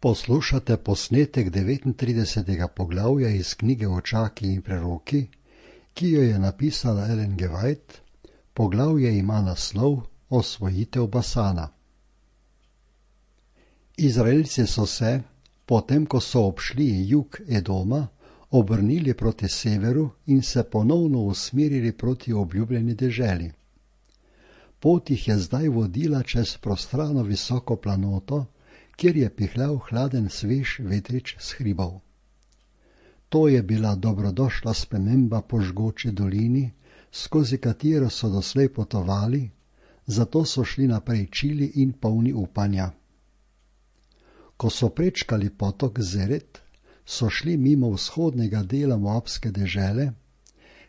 Poslušate posnetek 39. poglavja iz knjige Očaki in preroki, ki jo je napisala Ellen G. White. Poglavje ima naslov Osvojitev Basana. Izraelci so se, potem ko so obšli jug Edoma, obrnili proti severu in se ponovno usmerili proti obljubljeni deželi. Pot jih je zdaj vodila čez prostrano visoko planoto, kjer je pihljal hladen svež vetrič s hribov. To je bila dobrodošla sprememba po žgoči dolini, skozi katero so doslej potovali, zato so šli naprej čili in polni upanja. Ko so prečkali potok Zeret, so šli mimo vzhodnega dela Moabske dežele,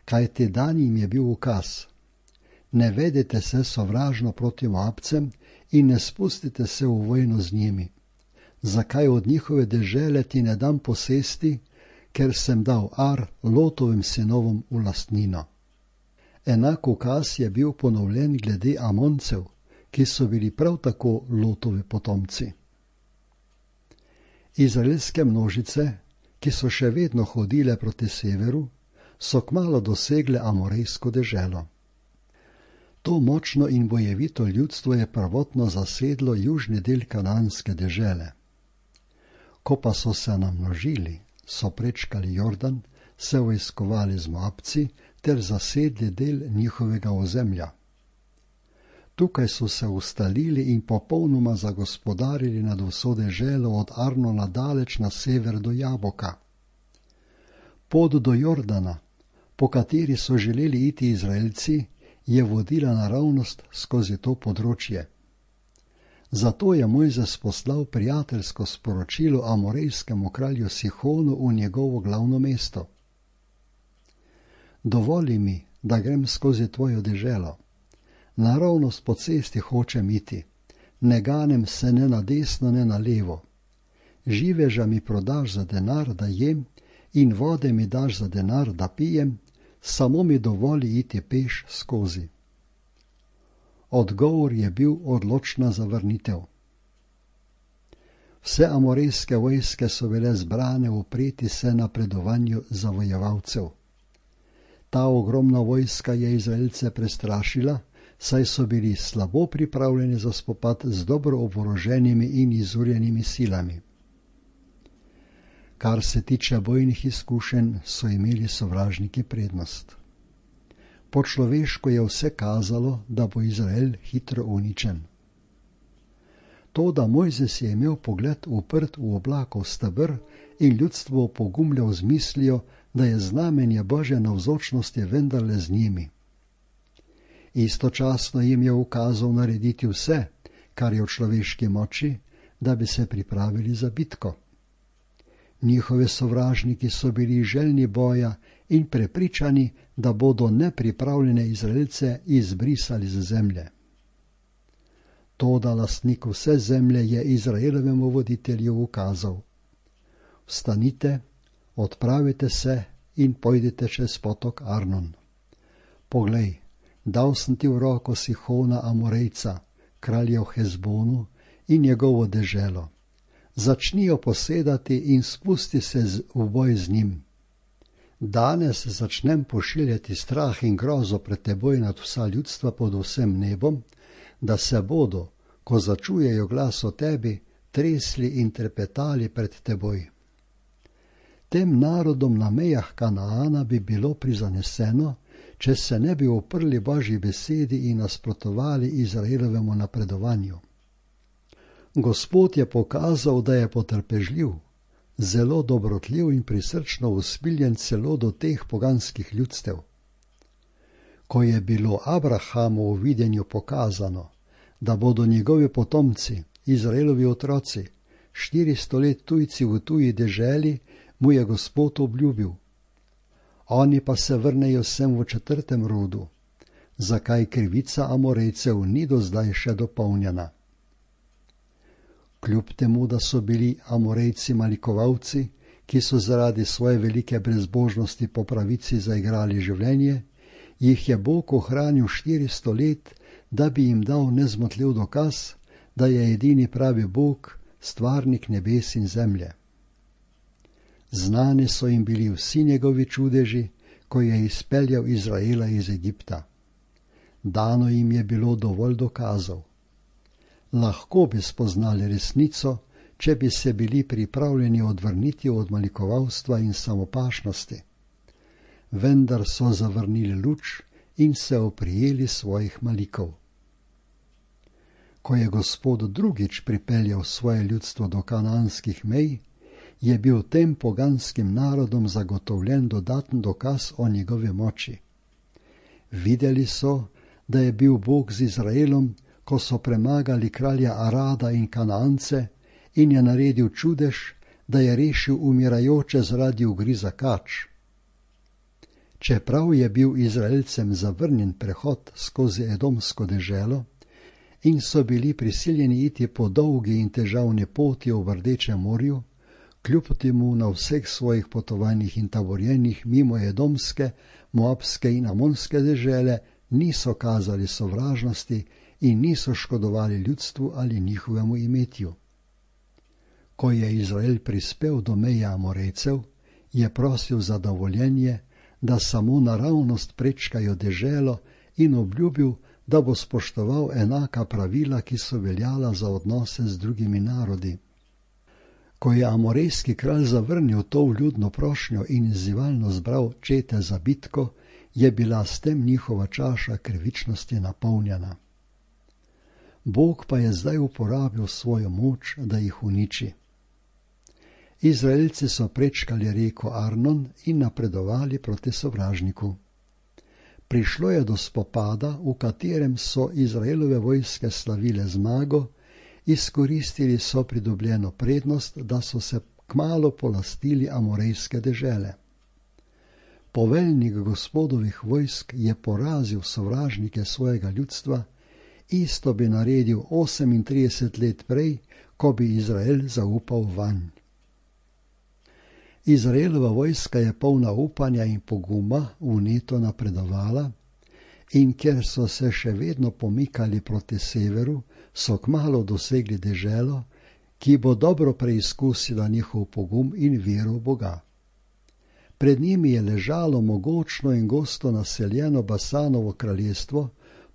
kajti dan jim je bil ukaz: ne vedete se sovražno proti Moabcem in ne spustite se v vojno z njimi. Zakaj od njihove dežele ti ne dam posesti, ker sem dal Ar Lotovim sinovom v lastnino. Enak ukaz je bil ponovljen glede Amoncev, ki so bili prav tako Lotovi potomci. Izraelske množice, ki so še vedno hodile proti severu, so kmalu dosegle Amorejsko deželo. To močno in bojevito ljudstvo je prvotno zasedlo južni del Kananske dežele. Ko pa so se namnožili, so prečkali Jordan, se vojskovali z Moabci ter zasedli del njihovega ozemlja. Tukaj so se ustalili in popolnoma zagospodarili nad vso deželo od Arnona daleč na sever do Jaboka. Pot do Jordana, po kateri so želeli iti Izraelci, je vodila naravnost skozi to področje. Zato je Mojzes poslal prijateljsko sporočilo amorejskemu kralju Sihonu v njegovo glavno mesto. Dovoli mi, da grem skozi tvojo deželo. Naravnost po cesti hočem iti, ne ganem se ne na desno, ne na levo. Živeža mi prodaš za denar, da jem, in vode mi daš za denar, da pijem, samo mi dovoli iti peš skozi. Odgovor je bil odločna zavrnitev. Vse amorejske vojske so bile zbrane upreti se napredovanju zavojevalcev. Ta ogromna vojska je Izraelce prestrašila, saj so bili slabo pripravljeni za spopad z dobro oboroženimi in izurjenimi silami. Kar se tiče bojnih izkušenj, so imeli sovražniki prednost. Po človeško je vse kazalo, da bo Izrael hitro uničen. To, da Mojzes je imel pogled uprt v oblakov steber in ljudstvo opogumljal z mislijo, da je znamenje Božje navzočnosti vendarle z njimi. Istočasno jim je ukazal narediti vse, kar je v človeški moči, da bi se pripravili za bitko. Njihovi sovražniki so bili željni boja in prepričani, da bodo nepripravljene Izraelce izbrisali z zemlje. Toda lastnik vse zemlje je Izraelovemu voditelju ukazal: vstanite, odpravite se in pojdite čez potok Arnon. Poglej, dal sem ti v roko Sihona Amorejca, kralja v Hezbonu in njegovo deželo. Začnijo posedati in spusti se v boj z njim. Danes začnem pošiljati strah in grozo pred teboj nad vsa ljudstva pod vsem nebom, da se bodo, ko začujejo glas o tebi, tresli in trepetali pred teboj. Tem narodom na mejah Kanaana bi bilo prizaneseno, če se ne bi uprli Božji besedi in nasprotovali Izraelovemu napredovanju. Gospod je pokazal, da je potrpežljiv, zelo dobrotljiv in prisrčno usmiljen celo do teh poganskih ljudstev. Ko je bilo Abrahamu v videnju pokazano, da bodo njegovi potomci, Izraelovi otroci, 400 let tujci v tuji deželi, mu je Gospod obljubil: oni pa se vrnejo sem v 4. rodu, zakaj krivica Amorejcev ni do zdaj še dopolnjena. Kljub temu, da so bili Amorejci malikovalci, ki so zaradi svoje velike brezbožnosti po pravici zaigrali življenje, jih je Bog ohranil 400 let, da bi jim dal nezmotljiv dokaz, da je edini pravi Bog, stvarnik nebes in zemlje. Znani so jim bili vsi njegovi čudeži, ko je izpeljal Izraela iz Egipta. Dano jim je bilo dovolj dokazov. Lahko bi spoznali resnico, če bi se bili pripravljeni odvrniti od malikovalstva in samopašnosti. Vendar so zavrnili luč in se oprijeli svojih malikov. Ko je Gospod drugič pripeljal svoje ljudstvo do kananskih mej, je bil tem poganskim narodom zagotovljen dodaten dokaz o njegovi moči. Videli so, da je bil Bog z Izraelom, ko so premagali kralja Arada in Kanance, in je naredil čudež, da je rešil umirajoče zaradi ugriza kač. Čeprav je bil Izraelcem zavrnjen prehod skozi edomsko deželo in so bili prisiljeni iti po dolgi in težavni poti v Rdečem morju, kljub temu na vseh svojih potovanjih in taborjenjih mimo edomske, moabske in amonske dežele niso kazali sovražnosti in niso škodovali ljudstvu ali njihovemu imetju. Ko je Izrael prispel do meja Amorejcev, je prosil za dovoljenje, da samo naravnost prečkajo deželo, in obljubil, da bo spoštoval enaka pravila, ki so veljala za odnose z drugimi narodi. Ko je amorejski kralj zavrnil to vljudno prošnjo in izzivalno zbral čete za bitko, je bila s tem njihova čaša krivičnosti napolnjena. Bog pa je zdaj uporabil svojo moč, da jih uniči. Izraelci so prečkali reko Arnon in napredovali proti sovražniku. Prišlo je do spopada, v katerem so Izraelove vojske slavile zmago, izkoristili so pridobljeno prednost, da so se kmalu polastili amorejske dežele. Poveljnik Gospodovih vojsk je porazil sovražnike svojega ljudstva, isto bi naredil 38 let prej, ko bi Izrael zaupal vanj. Izraelova vojska je polna upanja in poguma vneto napredovala, in ker so se še vedno pomikali proti severu, so kmalu dosegli deželo, ki bo dobro preizkusila njihov pogum in vero v Boga. Pred njimi je ležalo mogočno in gosto naseljeno Basanovo kraljestvo,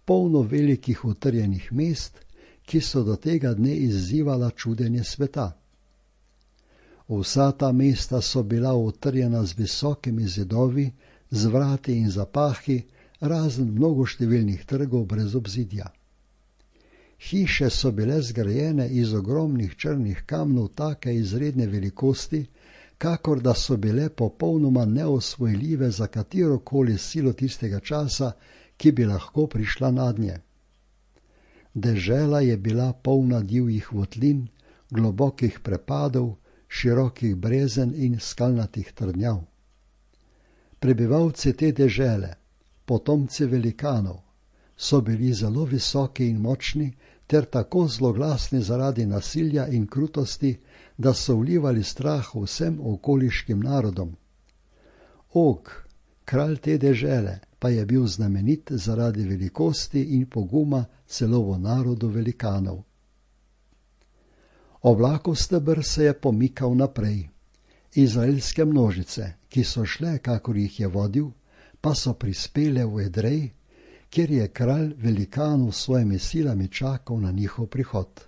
polno velikih utrjenih mest, ki so do tega dne izzivala čudenje sveta. Vsa ta mesta so bila utrjena z visokimi zidovi, z vrati in zapahi, razen mnogoštevilnih trgov brez obzidja. Hiše so bile zgrajene iz ogromnih črnih kamnov take izredne velikosti, kakor da so bile popolnoma neosvojljive za katerokoli silo tistega časa, ki bi lahko prišla nadnje. Dežela je bila polna divjih votlin, globokih prepadov, širokih brezen in skalnatih trdnjav. Prebivalci te dežele, potomci velikanov, so bili zelo visoki in močni ter tako zloglasni zaradi nasilja in krutosti, da so vlivali strah vsem okoliškim narodom. Og, kralj te dežele, pa je bil znamenit zaradi velikosti in poguma celo v narodu velikanov. Oblakov steber se je pomikal naprej. Izraelske množice, ki so šle, kakor jih je vodil, pa so prispele v Edrej, kjer je kralj velikanov s svojimi silami čakal na njihov prihod.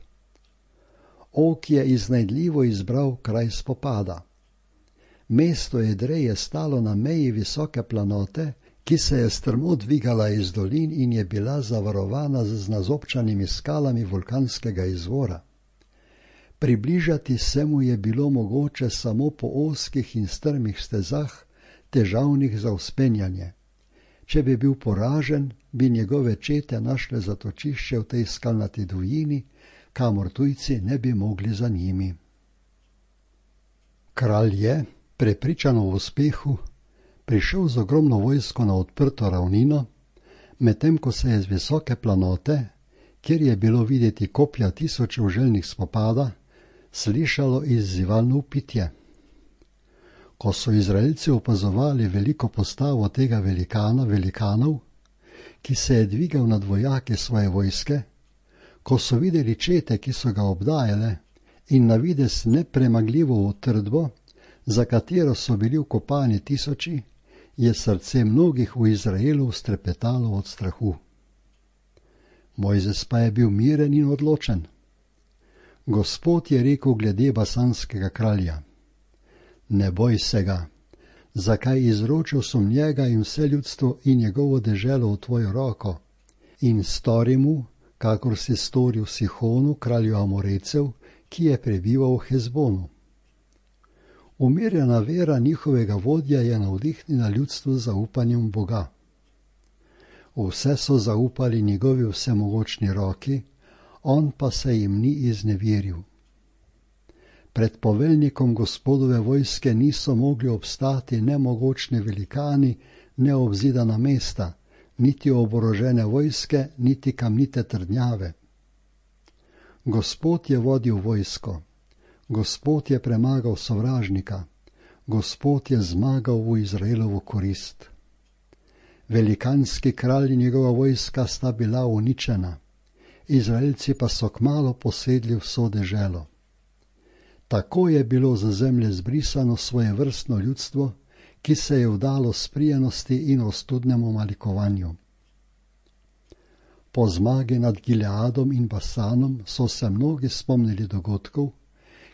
Og je iznajdljivo izbral kraj spopada. Mesto Edrej je stalo na meji visoke planote, ki se je strmo dvigala iz dolin in je bila zavarovana z nazobčanimi skalami vulkanskega izvora. Približati se mu je bilo mogoče samo po ozkih in strmih stezah, težavnih za vzpenjanje. Če bi bil poražen, bi njegove čete našle zatočišče v tej skalnati divjini, kamor tujci ne bi mogli za njimi. Kralj je, prepričan o uspehu, prišel z ogromno vojsko na odprto ravnino, medtem ko se je z visoke planote, kjer je bilo videti kopja tisočev željnih spopada, slišalo izzivalno vpitje. Ko so Izraelci opazovali veliko postavo tega velikana velikanov, ki se je dvigal nad vojake svoje vojske, ko so videli čete, ki so ga obdajale, in na vides nepremagljivo utrdbo, za katero so bili vkopani tisoči, je srce mnogih v Izraelu strepetalo od strahu. Mojzes pa je bil miren in odločen. Gospod je rekel glede basanskega kralja: Ne boj se ga, zakaj izročil sem njega in vse ljudstvo in njegovo deželo v tvojo roko, in stori mu, kakor si storil Sihonu, kralju Amorejcev, ki je prebival v Hezbonu. Umirjena vera njihovega vodja je navdihnila ljudstvo z zaupanjem Boga. Vse so zaupali njegovi vsemogočni roki, on pa se jim ni izneveril. Pred poveljnikom Gospodove vojske niso mogli obstati nemogočni velikani, neobzidana mesta, niti oborožene vojske, niti kamnite trdnjave. Gospod je vodil vojsko, Gospod je premagal sovražnika, Gospod je zmagal v Izraelovo korist. Velikanski kralj in njegova vojska sta bila uničena, Izraelci pa so kmalu posedli vso deželo. Tako je bilo za zemlje zbrisano svojevrstno ljudstvo, ki se je vdalo sprijenosti in ostudnemu malikovanju. Po zmagi nad Gileadom in Basanom so se mnogi spomnili dogodkov,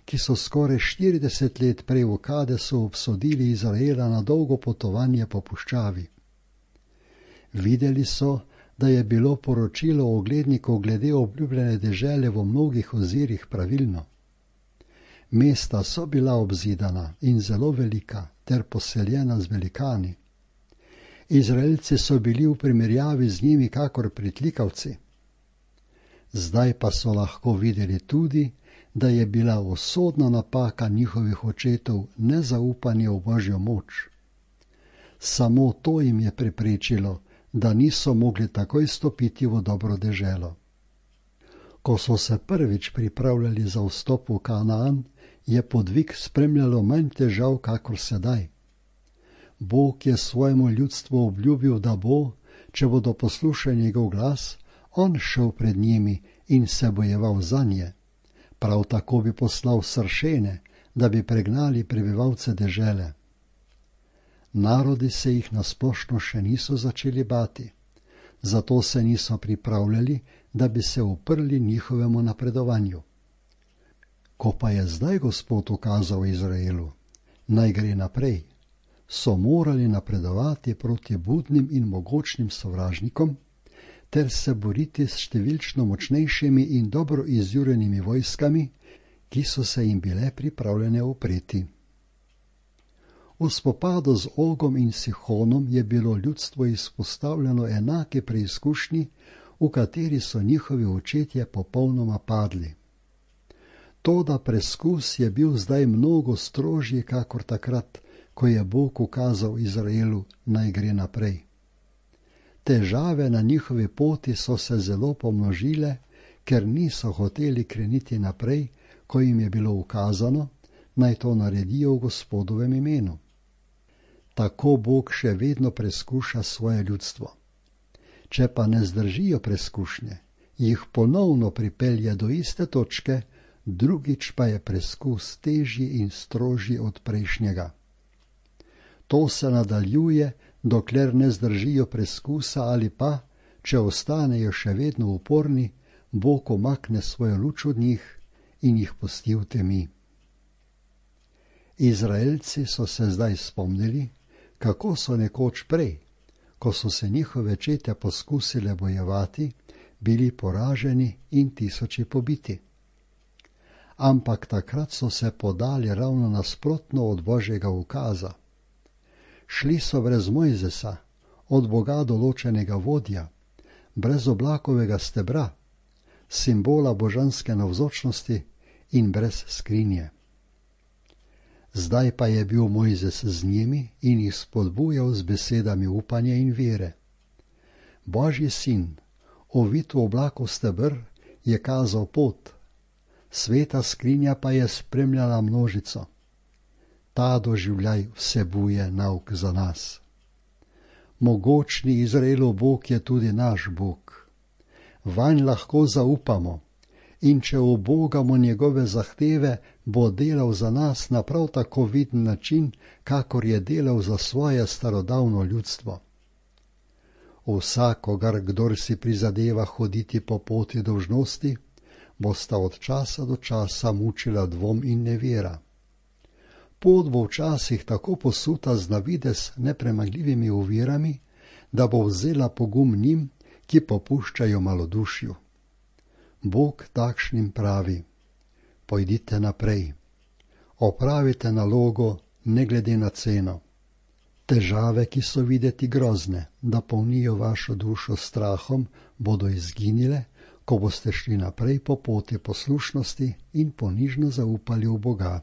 ki so skoraj 40 let prej v Kadesu obsodili Izraela na dolgo potovanje po puščavi. Videli so, da je bilo poročilo oglednikov glede obljubljene dežele v mnogih ozirih pravilno. Mesta so bila obzidana in zelo velika ter poseljena z velikani. Izraelci so bili v primerjavi z njimi kakor pritlikavci. Zdaj pa so lahko videli tudi, da je bila usodna napaka njihovih očetov nezaupanje v Božjo moč. Samo to jim je preprečilo, da niso mogli takoj stopiti v dobro deželo. Ko so se prvič pripravljali za vstop v Kanaan, je podvig spremljalo manj težav kakor sedaj. Bog je svojemu ljudstvu obljubil, da bo, če bodo poslušali njegov glas, on šel pred njimi in se bojeval zanje. Prav tako bi poslal sršene, da bi pregnali prebivalce dežele. Narodi se jih nasplošno še niso začeli bati, zato se niso pripravljali, da bi se uprli njihovemu napredovanju. Ko pa je zdaj Gospod ukazal Izraelu, naj gre naprej, so morali napredovati proti budnim in mogočnim sovražnikom ter se boriti s številčno močnejšimi in dobro izjurenimi vojskami, ki so se jim bile pripravljene upreti. V spopadu z Ogom in Sihonom je bilo ljudstvo izpostavljeno enake preizkušnji, v kateri so njihovi očetje popolnoma padli. Toda preskus je bil zdaj mnogo strožji kakor takrat, ko je Bog ukazal Izraelu, naj gre naprej. Težave na njihovi poti so se zelo pomnožile, ker niso hoteli kreniti naprej, ko jim je bilo ukazano, naj to naredijo v Gospodovem imenu. Tako Bog še vedno preskuša svoje ljudstvo. Če pa ne zdržijo preskušnje, jih ponovno pripelje do iste točke, drugič pa je preskus težji in strožji od prejšnjega. To se nadaljuje, dokler ne zdržijo preskusa ali pa, če ostanejo še vedno uporni, Bog umakne svojo luč od njih in jih pusti v temi. Izraelci so se zdaj spomnili, kako so nekoč prej, ko so se njihove čete poskusile bojevati, bili poraženi in tisoči pobiti. Ampak takrat so se podali ravno nasprotno od Božjega ukaza. Šli so brez Mojzesa, od Boga določenega vodja, brez oblakovega stebra, simbola božanske navzočnosti in brez skrinje. Zdaj pa je bil Mojzes z njimi in jih spodbujal z besedami upanja in vere. Božji sin, ovit v oblakov steber, je kazal pot, sveta skrinja pa je spremljala množico. Ta doživljaj vsebuje nauk za nas. Mogočni Izraelov Bog je tudi naš Bog. Vanj lahko zaupamo in če ubogamo njegove zahteve, bo delal za nas na prav tako viden način, kakor je delal za svoje starodavno ljudstvo. Vsakogar, kdor si prizadeva hoditi po poti dolžnosti, bosta od časa do časa mučila dvom in nevera. Pot bo včasih tako posuta z navidez nepremagljivimi ovirami, da bo vzela pogum njim, ki popuščajo malodušju. Bog takšnim pravi: pojdite naprej, opravite nalogo ne glede na ceno. Težave, ki so videti grozne, da polnijo vašo dušo s strahom, bodo izginile, ko boste šli naprej po poti poslušnosti in ponižno zaupali v Boga.